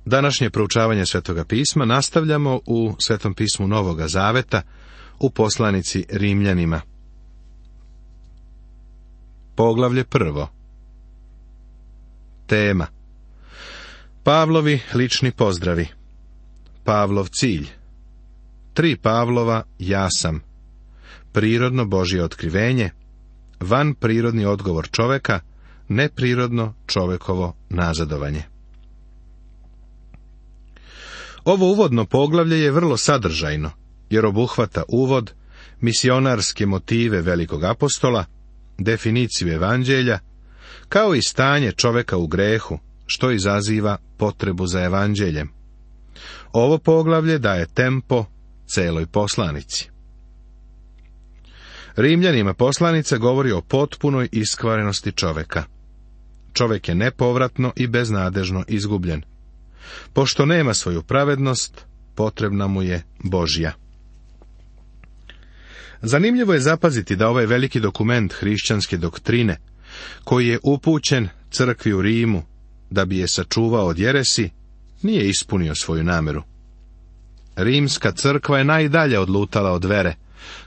Današnje proučavanje Svetoga pisma nastavljamo u Svetom pismu Novoga Zaveta, u poslanici Rimljanima. Poglavlje 1. Tema: Pavlovi lični pozdravi. Pavlov cilj. 3 Pavlova ja sam. Prirodno Božje otkrivenje. Van prirodni odgovor čoveka. Neprirodno čovekovo nazadovanje. Ovo uvodno poglavlje je vrlo sadržajno, jer obuhvata uvod, misionarske motive velikog apostola, definiciju evanđelja, kao i stanje čoveka u grehu, što izaziva potrebu za evanđeljem. Ovo poglavlje daje tempo celoj poslanici. Rimljanima poslanica govori o potpunoj iskvarenosti čoveka. Čovek je nepovratno i beznadežno izgubljen. Pošto nema svoju pravednost, potrebna mu je Božja. Zanimljivo je zapaziti da ovaj veliki dokument hrišćanske doktrine, koji je upućen crkvi u Rimu, da bi je sačuvao od jeresi, nije ispunio svoju nameru. Rimska crkva je najdalje odlutala od vere,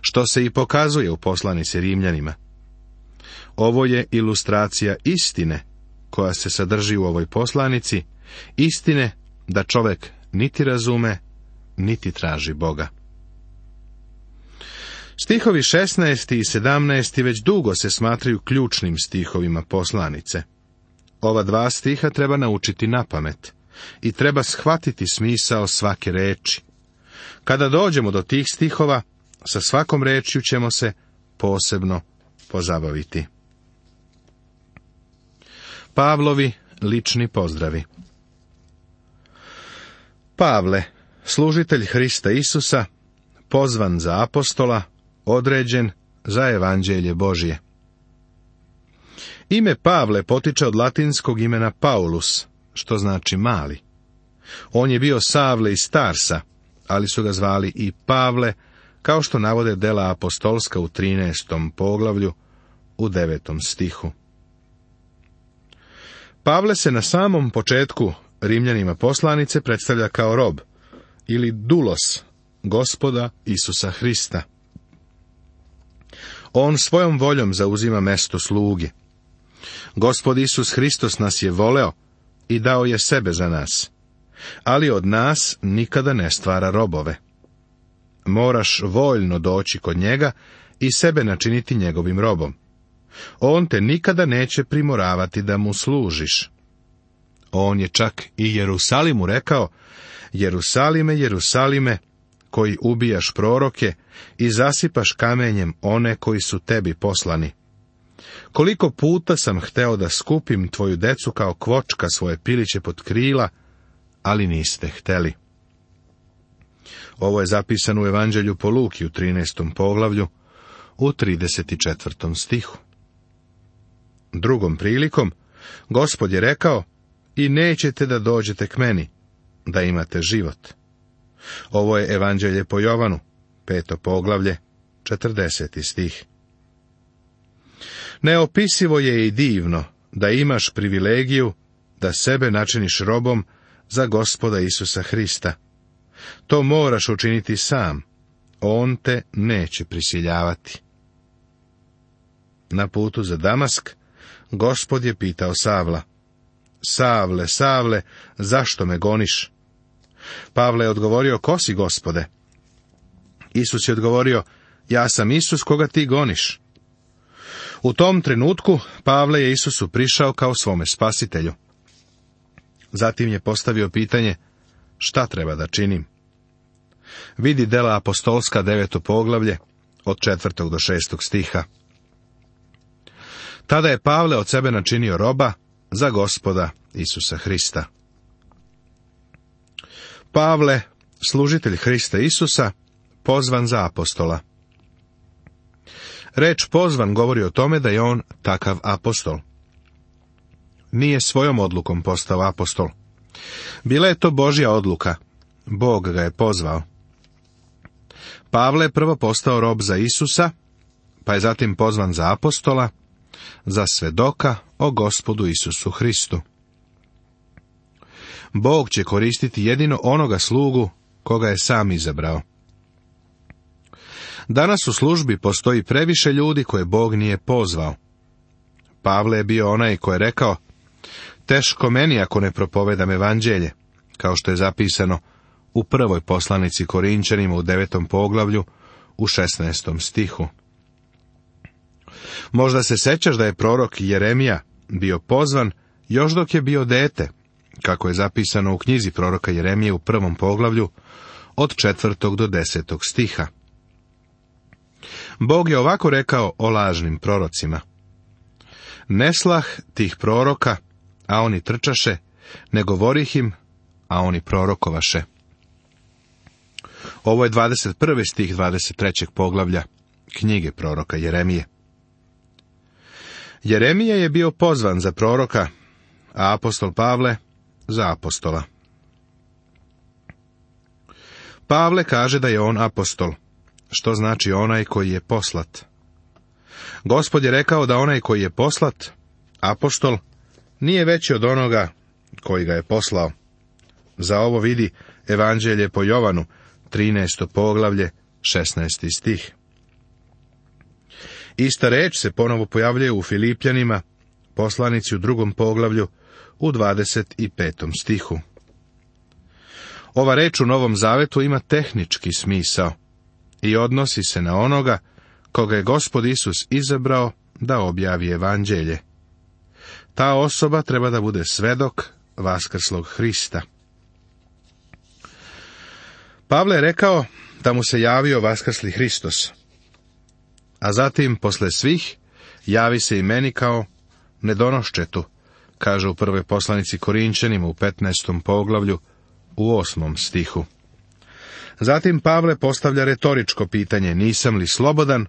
što se i pokazuje u poslanici Rimljanima. Ovo je ilustracija istine, koja se sadrži u ovoj poslanici, istine da čovek niti razume, niti traži Boga. Stihovi 16. i 17. već dugo se smatraju ključnim stihovima poslanice. Ova 2 stiha treba naučiti napamet i treba shvatiti smisao svake reči. Kada dođemo do tih stihova, sa svakom rečju ćemo se posebno pozabaviti. Pavlovi lični pozdravi. Pavle, služitelj Hrista Isusa, pozvan za apostola, određen za evanđelje Božje. Ime Pavle potiče od latinskog imena Paulus, što znači mali. On je bio Savle iz Tarsa, ali su ga zvali i Pavle, kao što navode dela apostolska u 13. poglavlju, u 9. stihu. Pavle se na samom početku Rimljanima poslanice predstavlja kao rob, ili dulos, Gospoda Isusa Hrista. On svojom voljom zauzima mesto sluge. Gospod Isus Hristos nas je voleo i dao je sebe za nas, ali od nas nikada ne stvara robove. Moraš voljno doći kod njega i sebe načiniti njegovim robom. On te nikada neće primoravati da mu služiš. On je čak i Jerusalimu rekao: Jerusalime, Jerusalime, koji ubijaš proroke i zasipaš kamenjem one koji su tebi poslani. Koliko puta sam hteo da skupim tvoju decu kao kvočka svoje piliće pod krila, ali niste hteli. Ovo je zapisano u Evanđelju po Luki u 13. poglavlju, u 34. stihu. Drugom prilikom, Gospod je rekao: i nećete da dođete k meni, da imate život. Ovo je Evanđelje po Jovanu, 5. poglavlje, 40. stih. Neopisivo je i divno da imaš privilegiju da sebe načiniš robom za Gospoda Isusa Hrista. To moraš učiniti sam, on te neće prisiljavati. Na putu za Damask, Gospod je pitao Savla: Savle, Savle, zašto me goniš? Pavle je odgovorio: ko si, Gospode? Isus je odgovorio: ja sam Isus koga ti goniš. U tom trenutku Pavle je Isusu prišao kao svome spasitelju. Zatim je postavio pitanje: šta treba da činim? Vidi dela apostolska 9. poglavlje, od 4. do 6. stiha. Tada je Pavle od sebe načinio roba za Gospoda Isusa Hrista. Pavle, služitelj Hrista Isusa, pozvan za apostola. Reč pozvan govori o tome da je on takav apostol. Nije svojom odlukom postao apostol. Bila je to Božja odluka. Bog ga je pozvao. Pavle je prvo postao rob za Isusa, pa je zatim pozvan za apostola, za svedoka o Gospodu Isusu Hristu. Bog će koristiti jedino onoga slugu koga je sam izabrao. Danas u službi postoji previše ljudi koje Bog nije pozvao. Pavle je bio onaj koji je rekao: teško meni ako ne propovedam evanđelje, kao što je zapisano u prvoj poslanici Korinčanima u 9. poglavlju u 16. stihu. Možda se sećaš da je prorok Jeremija bio pozvan još dok je bio dete, kako je zapisano u knjizi proroka Jeremije u 1. poglavlju od 4. do 10. stiha. Bog je ovako rekao o lažnim prorocima: ne slah tih proroka, a oni trčaše, ne govorih im, a oni prorokovaše. Ovo je 21. stih 23. poglavlja knjige proroka Jeremije. Jeremija je bio pozvan za proroka, a apostol Pavle za apostola. Pavle kaže da je on apostol, što znači onaj koji je poslat. Gospod je rekao da onaj koji je poslat, apostol, nije veći od onoga koji ga je poslao. Za ovo vidi Evanđelje po Jovanu, 13. poglavlje, 16. stih. Ista reč se ponovo pojavljuje u Filipljanima, poslanici u 2. poglavlju, u 25. stihu. Ova reč u Novom Zavetu ima tehnički smisao i odnosi se na onoga koga je Gospod Isus izabrao da objavi evanđelje. Ta osoba treba da bude svedok vaskrslog Hrista. Pavle je rekao da mu se javio vaskrsli Hristos, a zatim, posle svih, javi se i meni kao nedonoščetu, kaže u prvoj poslanici Korinčanima u 15. poglavlju u 8. stihu. Zatim Pavle postavlja retoričko pitanje: nisam li slobodan,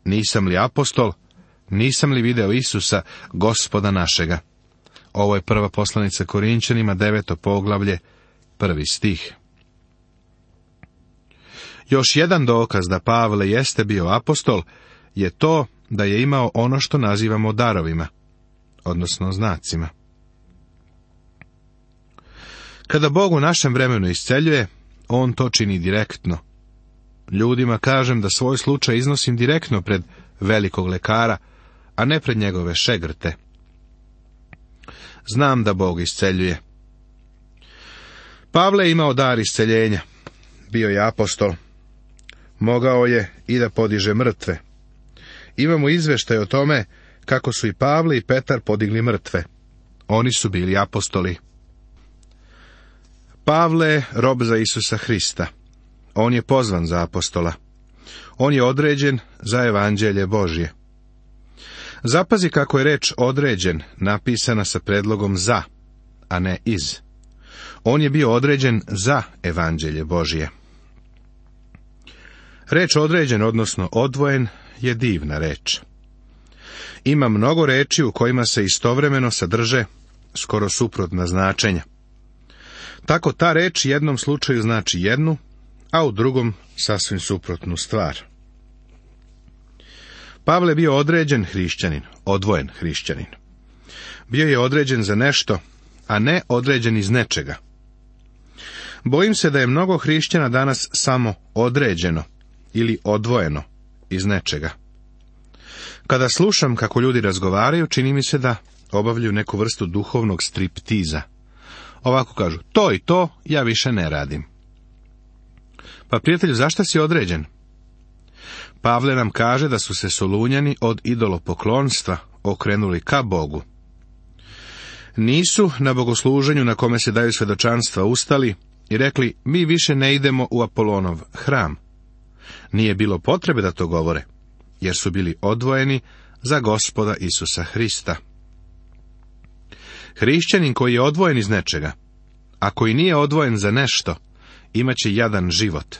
nisam li apostol, nisam li video Isusa, Gospoda našega? Ovo je prva poslanica Korinčanima, 9. poglavlje, 1. stih. Još jedan dokaz da Pavle jeste bio apostol je to da je imao ono što nazivamo darovima, odnosno znacima. Kada Bog u našem vremenu isceljuje, on to čini direktno. Ljudima kažem da svoj slučaj iznosim direktno pred velikog lekara, a ne pred njegove šegrte. Znam da Bog isceljuje. Pavle je imao dar isceljenja. Bio je apostol. Mogao je i da podiže mrtve. Imamo izveštaj o tome kako su i Pavle i Petar podigli mrtve. Oni su bili apostoli. Pavle je rob za Isusa Hrista. On je pozvan za apostola. On je određen za evanđelje Božje. Zapazi kako je reč određen napisana sa predlogom za, a ne iz. On je bio određen za evanđelje Božje. Reč određen, odnosno odvojen, je divna reč. Ima mnogo reči u kojima se istovremeno sadrže skoro suprotna značenja. Tako ta reč jednom slučaju znači jednu, a u drugom sasvim suprotnu stvar. Pavle bio određen hrišćanin, odvojen hrišćanin. Bio je određen za nešto, a ne određen iz nečega. Bojim se da je mnogo hrišćana danas samo određeno ili odvojeno iz nečega. Kada slušam kako ljudi razgovaraju, čini mi se da obavljaju neku vrstu duhovnog striptiza. Ovako kažu: to i to ja više ne radim. Pa prijatelju, zašto si određen? Pavle nam kaže da su se Solunjani od idolopoklonstva okrenuli ka Bogu. Nisu na bogosluženju na kome se daju svedočanstva ustali i rekli: mi više ne idemo u Apolonov hram. Nije bilo potrebe da to govore, jer su bili odvojeni za Gospoda Isusa Hrista. Hrišćanin koji je odvojen iz nečega, a koji nije odvojen za nešto, imaće jadan život.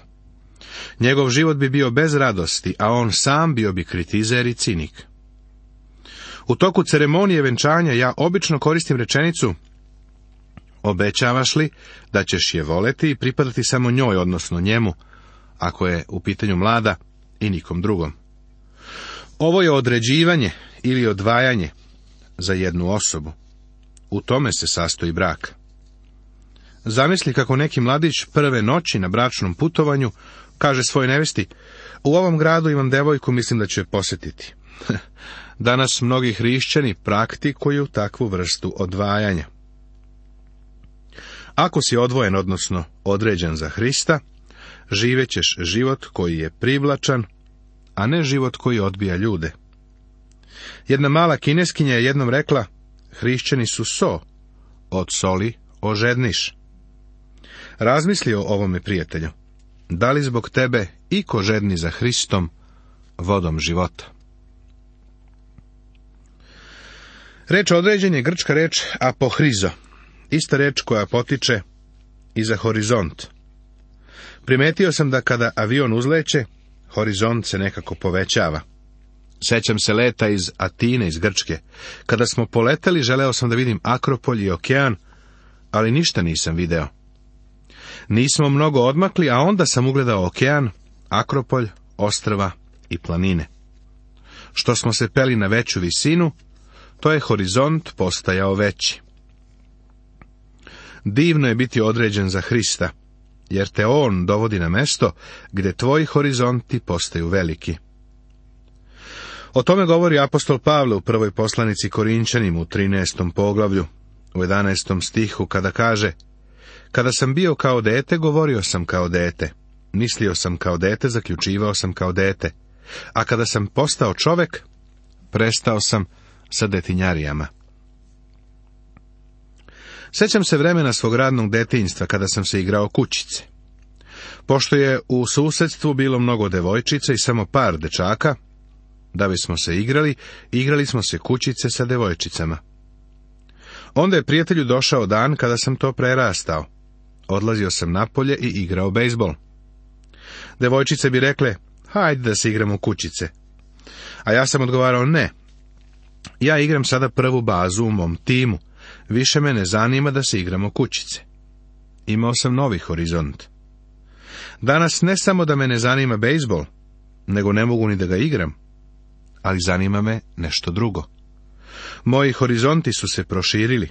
Njegov život bi bio bez radosti, a on sam bio bi kritizer i cinik. U toku ceremonije venčanja ja obično koristim rečenicu: obećavaš li da ćeš je voleti i pripadati samo njoj, odnosno njemu, ako je u pitanju mlada, i nikom drugom. Ovo je određivanje ili odvajanje za jednu osobu. U tome se sastoji brak. Zamisli kako neki mladić prve noći na bračnom putovanju kaže svojoj nevesti: u ovom gradu imam devojku, mislim da ću je posjetiti. Danas mnogi hrišćani praktikuju takvu vrstu odvajanja. Ako si odvojen, odnosno određen za Hrista, živećeš život koji je privlačan, a ne život koji odbija ljude. Jedna mala Kineskinja je jednom rekla: hrišćani su so, od soli ožedniš. Razmisli o ovome, prijatelju. Da li zbog tebe iko žedni za Hristom, vodom života? Reč određen je grčka reč apohrizo, ista reč koja potiče i za horizont. Primetio sam da kada avion uzleće, horizont se nekako povećava. Sećam se leta iz Atine, iz Grčke. Kada smo poleteli, želeo sam da vidim Akropolj i okean, ali ništa nisam video. Nismo mnogo odmakli, a onda sam ugledao okean, Akropolj, ostrva i planine. Što smo se peli na veću visinu, to je horizont postajao veći. Divno je biti određen za Hrista, jer te on dovodi na mesto gdje tvoji horizonti postaju veliki. O tome govori apostol Pavle u prvoj poslanici Korinčanima u 13. poglavlju, u 11. stihu, kada kaže: kada sam bio kao dete, govorio sam kao dete, mislio sam kao dete, zaključivao sam kao dete, a kada sam postao čovek, prestao sam sa detinjarijama. Sjećam se vremena svog radnog detinjstva kada sam se igrao kućice. Pošto je u susjedstvu bilo mnogo devojčica i samo par dečaka, da bismo se igrali smo se kućice sa devojčicama. Onda je prijatelju došao dan kada sam to prerastao. Odlazio sam napolje i igrao bejzbol. Devojčice bi rekle: hajde da se igramo kućice. A ja sam odgovarao: ne. Ja igram sada prvu bazu u mom timu. Više me ne zanima da se igramo kućice. Imao sam novi horizont. Danas ne samo da me ne zanima bejzbol, nego ne mogu ni da ga igram, ali zanima me nešto drugo. Moji horizonti su se proširili.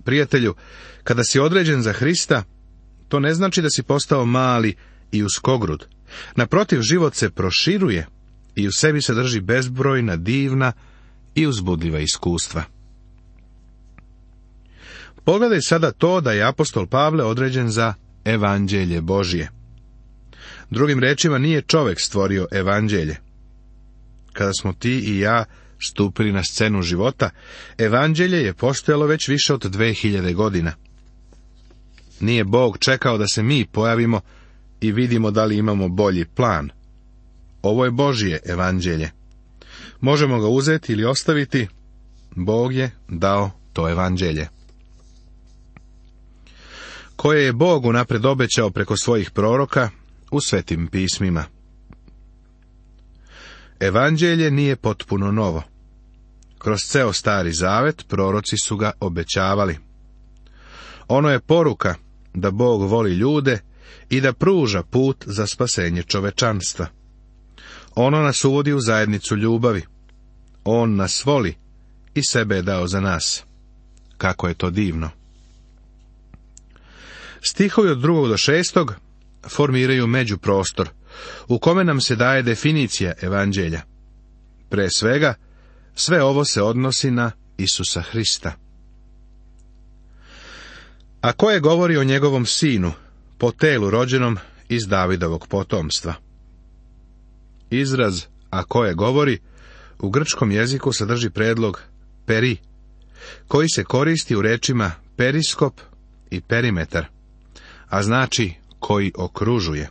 Prijatelju, kada si određen za Hrista, to ne znači da si postao mali i uskogrud. Naprotiv, život se proširuje i u sebi sadrži bezbrojna, divna i uzbudljiva iskustva. Pogledaj sada to da je apostol Pavle određen za evanđelje Božje. Drugim rečima, nije čovjek stvorio evanđelje. Kada smo ti i ja stupili na scenu života, evanđelje je postojalo već više od 2000 godina. Nije Bog čekao da se mi pojavimo i vidimo da li imamo bolji plan. Ovo je Božje evanđelje. Možemo ga uzeti ili ostaviti. Bog je dao to evanđelje, koje je Bog unapred obećao preko svojih proroka u svetim pismima. Evanđelje nije potpuno novo. Kroz ceo Stari Zavet proroci su ga obećavali. Ono je poruka da Bog voli ljude i da pruža put za spasenje čovečanstva. Ono nas uvodi u zajednicu ljubavi. On nas voli i sebe je dao za nas. Kako je to divno! Stihovi od 2. do 6. formiraju međuprostor, u kome nam se daje definicija evanđelja. Pre svega, sve ovo se odnosi na Isusa Hrista. A koje govori o njegovom sinu, po telu rođenom iz Davidovog potomstva? Izraz a koje govori u grčkom jeziku sadrži predlog peri, koji se koristi u rečima periskop i perimetar, a znači koji okružuje.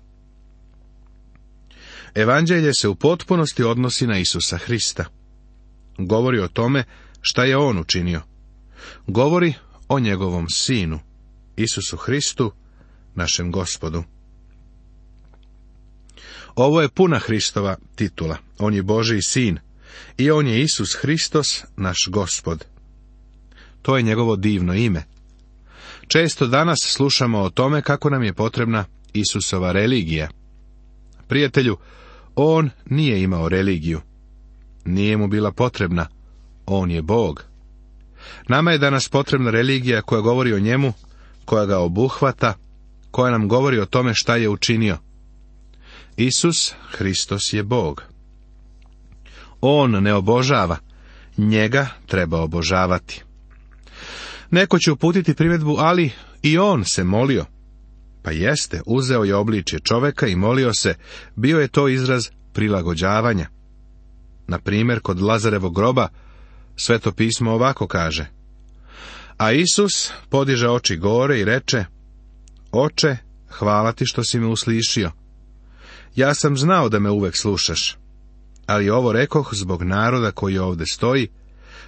Evanđelje se u potpunosti odnosi na Isusa Hrista. Govori o tome šta je on učinio. Govori o njegovom sinu, Isusu Hristu, našem Gospodu. Ovo je puna Hristova titula. On je Božji sin i on je Isus Hristos, naš Gospod. To je njegovo divno ime. Često danas slušamo o tome kako nam je potrebna Isusova religija. Prijatelju, on nije imao religiju. Nije mu bila potrebna. On je Bog. Nama je danas potrebna religija koja govori o njemu koja ga obuhvata, koja nam govori o tome šta je učinio. Isus Hristos je Bog. On ne obožava, njega treba obožavati. Neko će uputiti primjedbu, ali i on se molio. Pa jeste, uzeo je obličje čoveka i molio se, bio je to izraz prilagođavanja. Na primjer, kod Lazarevog groba, Sveto pismo ovako kaže: a Isus podiže oči gore i reče: Oče, hvala ti što si me uslišio. Ja sam znao da me uvek slušaš, ali ovo rekoh zbog naroda koji ovdje stoji,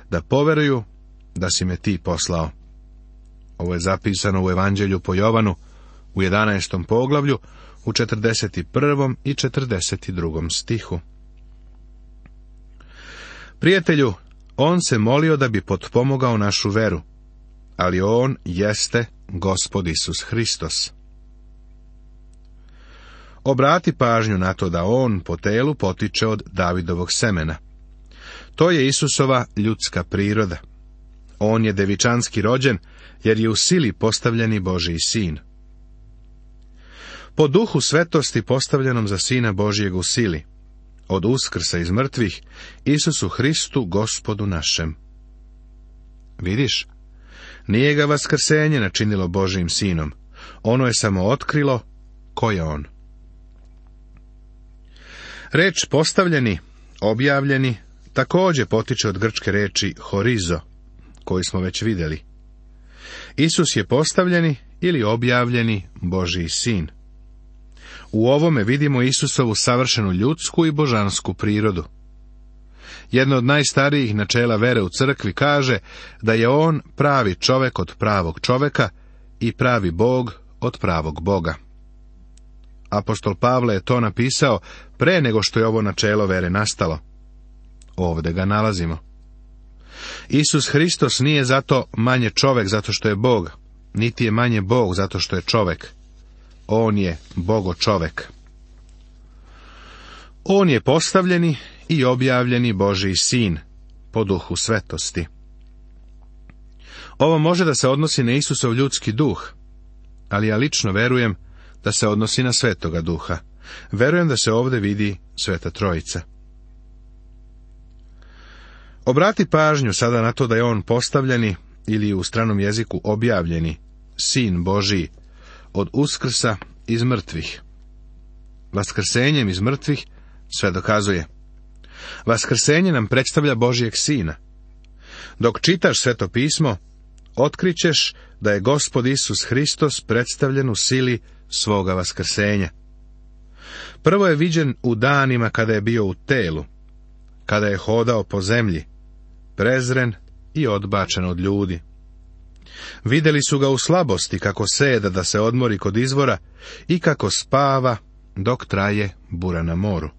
da poveruju da si me ti poslao. Ovo je zapisano u Evanđelju po Jovanu, u 11. poglavlju, u 41. i 42. stihu. Prijatelju, on se molio da bi potpomogao našu veru, ali on jeste Gospod Isus Hristos. Obrati pažnju na to da on po telu potiče od Davidovog semena. To je Isusova ljudska priroda. On je devičanski rođen, jer je u sili postavljeni Božji sin. Po duhu svetosti postavljenom za Sina Božjeg u sili, od uskrsa iz mrtvih, Isusu Hristu, Gospodu našem. Vidiš, nije ga vaskrsenje načinilo Božjim sinom, ono je samo otkrilo ko je on. Reč postavljeni, objavljeni, također potiče od grčke reči horizo, koju smo već vidjeli. Isus je postavljeni ili objavljeni Božji sin. U ovome vidimo Isusovu savršenu ljudsku i božansku prirodu. Jedno od najstarijih načela vere u crkvi kaže da je on pravi čovek od pravog čoveka i pravi Bog od pravog Boga. Apostol Pavle je to napisao pre nego što je ovo načelo vere nastalo. Ovdje ga nalazimo. Isus Hristos nije zato manje čovek zato što je Bog, niti je manje Bog zato što je čovek. On je Bogo čovek. On je postavljeni i objavljeni Božji sin, po duhu svetosti. Ovo može da se odnosi na Isusov ljudski duh, ali ja lično verujem da se odnosi na Svetoga Duha. Verujem da se ovdje vidi Sveta Trojica. Obrati pažnju sada na to da je on postavljeni, ili u stranom jeziku objavljeni, sin Božiji, od uskrsa iz mrtvih. Vaskrsenjem iz mrtvih sve dokazuje. Vaskrsenje nam predstavlja Božjeg sina. Dok čitaš Sveto pismo, otkrićeš da je Gospod Isus Hristos predstavljen u sili svoga vaskrsenja. Prvo je viđen u danima kada je bio u telu, kada je hodao po zemlji, prezren i odbačen od ljudi. Vidjeli su ga u slabosti kako seda da se odmori kod izvora i kako spava dok traje bura na moru.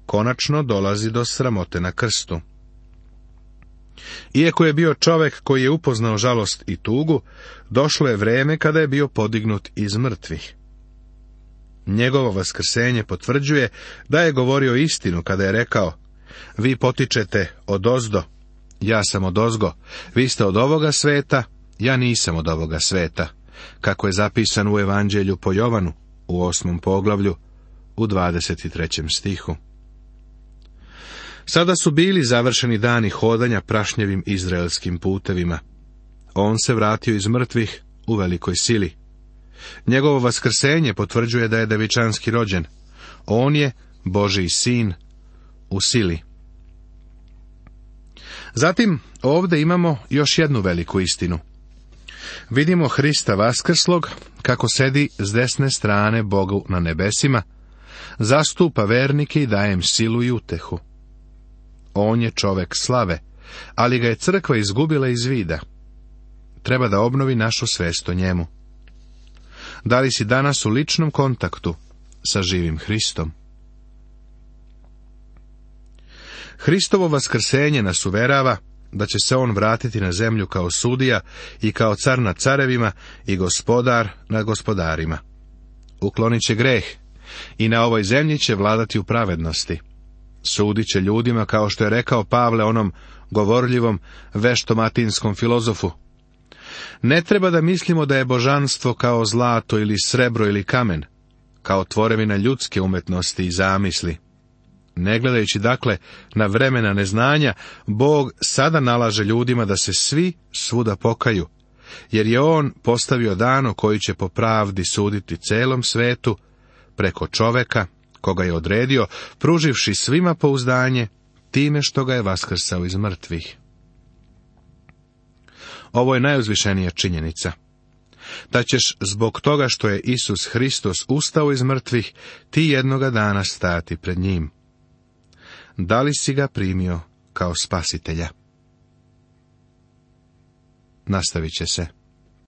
Konačno dolazi do sramote na krstu. Iako je bio čovek koji je upoznao žalost i tugu, došlo je vreme kada je bio podignut iz mrtvih. Njegovo vaskrsenje potvrđuje da je govorio istinu kada je rekao: vi potičete odozdo, ja sam odozgo, vi ste od ovoga sveta, ja nisam od ovoga sveta, kako je zapisano u Evanđelju po Jovanu, u 8. poglavlju, u 23. stihu. Sada su bili završeni dani hodanja prašnjevim izraelskim putevima. On se vratio iz mrtvih u velikoj sili. Njegovo vaskrsenje potvrđuje da je devičanski rođen. On je Božji sin u sili. Zatim, ovdje imamo još jednu veliku istinu. Vidimo Hrista vaskrslog, kako sedi s desne strane Bogu na nebesima, zastupa vernike i daje im silu i utehu. On je čovek slave, ali ga je crkva izgubila iz vida. Treba da obnovi našu svest o njemu. Da li si danas u ličnom kontaktu sa živim Hristom? Hristovo vaskrsenje nas uverava da će se on vratiti na zemlju kao sudija i kao car nad carevima i gospodar nad gospodarima. Uklonit će greh i na ovoj zemlji će vladati u pravednosti. Sudit će ljudima, kao što je rekao Pavle onom govorljivom veštomatinskom filozofu. Ne treba da mislimo da je božanstvo kao zlato ili srebro ili kamen, kao tvorevina ljudske umetnosti i zamisli. Ne gledajući dakle na vremena neznanja, Bog sada nalaže ljudima da se svi svuda pokaju, jer je On postavio dan koji će po pravdi suditi celom svetu preko čoveka koga je odredio, pruživši svima pouzdanje time što ga je vaskrsao iz mrtvih. Ovo je najuzvišenija činjenica, da ćeš zbog toga što je Isus Hristos ustao iz mrtvih, ti jednoga dana stati pred njim. Da li si ga primio kao spasitelja? Nastavit će se.